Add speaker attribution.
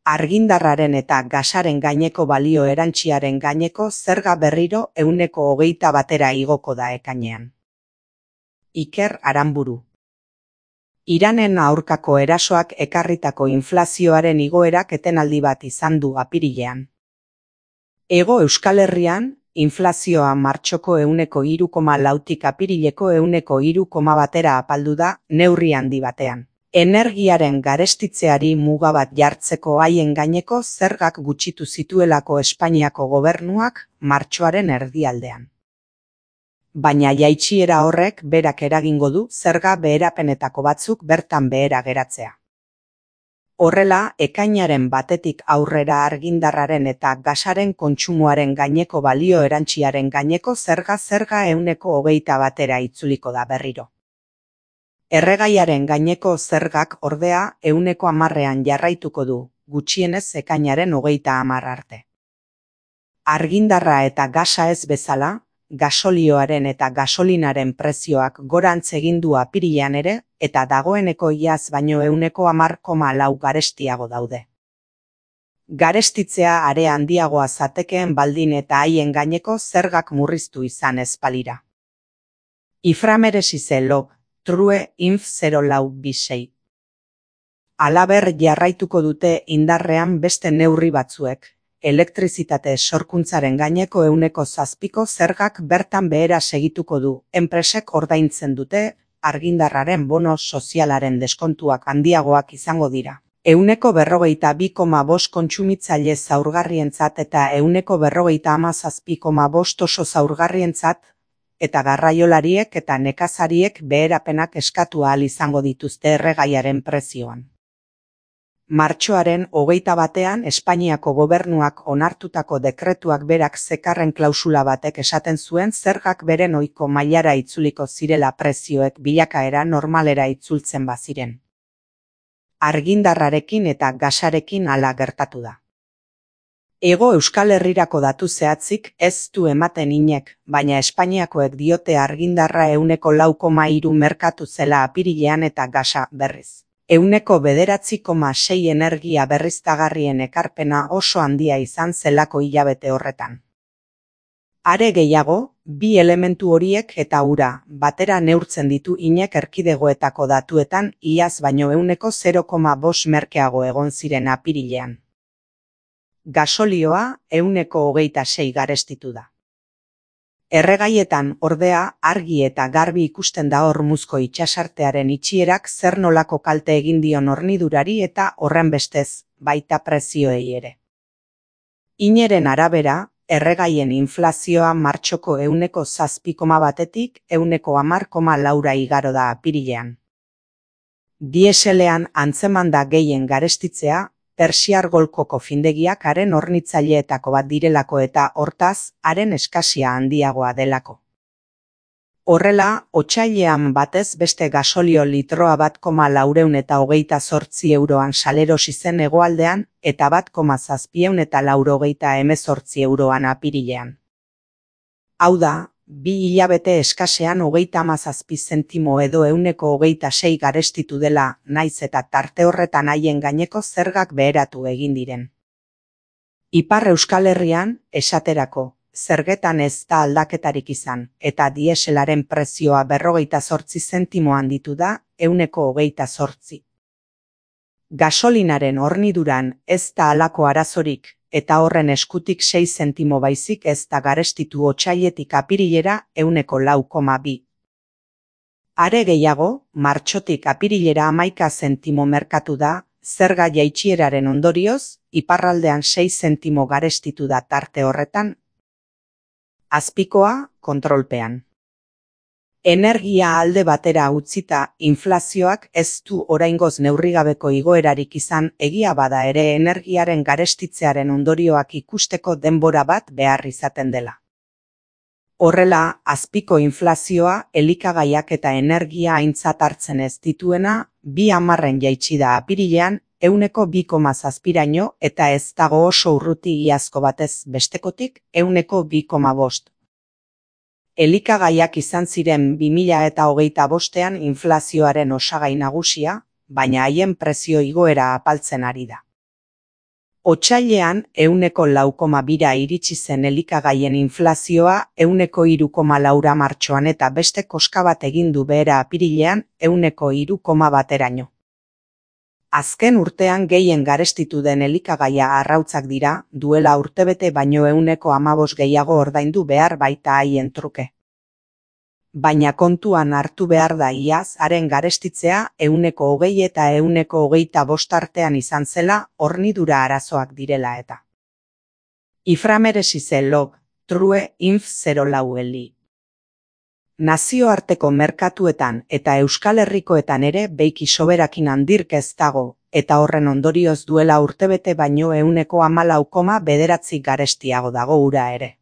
Speaker 1: Argindarraren eta gasaren gaineko balio erantsiaren gaineko zerga berriro 21% igoko da ekainean. Iker Aranburu. Iranen aurkako erasoak ekarritako inflazioaren igoerak etenaldi bat izan du apirilean. Hego Euskal Herrian, inflazioa martxoko 3,4tik apirileko 3,1 apaldu da neurri handi batean. Energiaren garestitzeari muga bat jartzeko haien gaineko zergak gutxitu zituelako Espainiako gobernuak martxoaren erdialdean. Baina jaitsiera horrek berak eragingo du zerga beherapenetako batzuk bertan behera geratzea. Horrela, ekainaren batetik aurrera argindarraren eta gasaren kontsumoaren gaineko balio erantsiaren gaineko zerga 21% itzuliko da berriro. Erregaiaren gaineko zergak ordea 10%an jarraituko du, gutxienez ekainaren 30 arte. Argindarra eta gasa ez bezala, gasolioaren eta gasolinaren prezioak gorantz egin du apirilean ere, eta dagoeneko iaz baino 10,4 garestiago daude. Garestitzea are handiagoa zatekeen baldin eta haien gaineko zergak murriztu izan ez balira. Iframeresize log, true inf 0426. Halaber jarraituko dute indarrean beste neurri batzuek. Elektrizitate sorkuntzaren gaineko 7% zergak bertan behera segituko du, enpresek ordaintzen dute, argindarraren bono sozialaren deskontuak handiagoak izango dira. 42,5 kontsumitzaile zaurgarrientzat eta 47,5 oso zaurgarrientzat, eta garraiolariek eta nekazariek beherapenak eskatu ahal izango dituzte erregaiaren prezioan. Martxoaren 21ean Espainiako gobernuak onartutako dekretuak berak zekarren klausula batek esaten zuen zergak beren ohiko mailara itzuliko zirela prezioek bilakaera normalera itzultzen baziren. Argindarrarekin eta gasarekin hala gertatu da. Hego Euskal Herrirako datu zehatzik ez du ematen inek, baina Espainiakoek diote argindarra 4,3 merkatu zela apirilean eta gasa berriz. 9,6 energia berriztagarrien ekarpena oso handia izan zelako hilabete horretan. Are gehiago, bi elementu horiek eta ura batera neurtzen ditu inek erkidegoetako datuetan iaz baino 0,5 merkeago egon ziren apirilean. Gasolioa 26 garestitu da. Erregaietan ordea argi eta garbi ikusten da Hormuzko itsasartearen itxierak zer nolako kalte egin dion hornidurari eta horrenbestez baita prezioei ere. Ineren arabera, erregaien inflazioa martxoko 7,1tik 10,4 igaro da apirilean. Dieselean antzeman da gehien garestitzea, Persiar golkoko findegiak haren hornitzaileetako bat direlako eta hortaz, haren eskasia handiagoa delako. Horrela, otsailean batez beste gasolio litroa 1,428 euroan salerosi zen hegoaldean eta 1,788 euroan apirilean. Hau da, 2 hilabete eskasean 37 zentimo edo 1,26 garestitu dela, naiz eta tarte horretan haien gaineko zergak beheratu egin diren. Ipar Euskal Herrian, esaterako, zergetan ez da aldaketarik izan, eta dieselaren prezioa 58 zentimo handitu da, 1,28. Gasolinaren horniduran ez da halako arazorik, eta horren eskutik 6 zentimo baizik ez da garestitu otsailetik apirilera 4,2. Are gehiago, martxotik apirilera 11 zentimo merkatu da, zerga jaitsieraren ondorioz, iparraldean 6 zentimo garestitu da tarte horretan. Azpikoa, kontrolpean. Energia alde batera utzita, inflazioak ez du oraingoz neurrigabeko igoerarik izan, egia bada ere energiaren garestitzearen ondorioak ikusteko denbora bat behar izaten dela. Horrela, azpiko inflazioa, elikagaiak eta energia aintzat hartzen ez dituena, 2,10 jaitsi da apirilean, 2,7raino eta ez dago oso urruti iazko batez bestekotik 2,5. Elikagaiak izan ziren 2025ean inflazioaren osagai nagusia, baina haien prezio igoera apaltzen ari da. Otsailean 0,2,2 iritsi zen elikagaien inflazioa 0,3,4 martxoan eta beste koska bat egin du behera apirilean 0,3,1eraino. Azken urtean gehien garestitu den elikagaia arrautzak dira, duela urtebete baino 0,15 gehiago ordaindu behar baita haien truke. Baina kontuan hartu behar da iaz haren garestitzea 0,20 eta 0,25 artean izan zela hornidura arazoak direla eta. Iframeresize log, true inf 04 eli. Nazioarteko merkatuetan eta Euskal Herrikoetan ere beiki soberakin handirk ez dago, eta horren ondorioz duela urtebete baino 0,14 garestiago dago ura ere.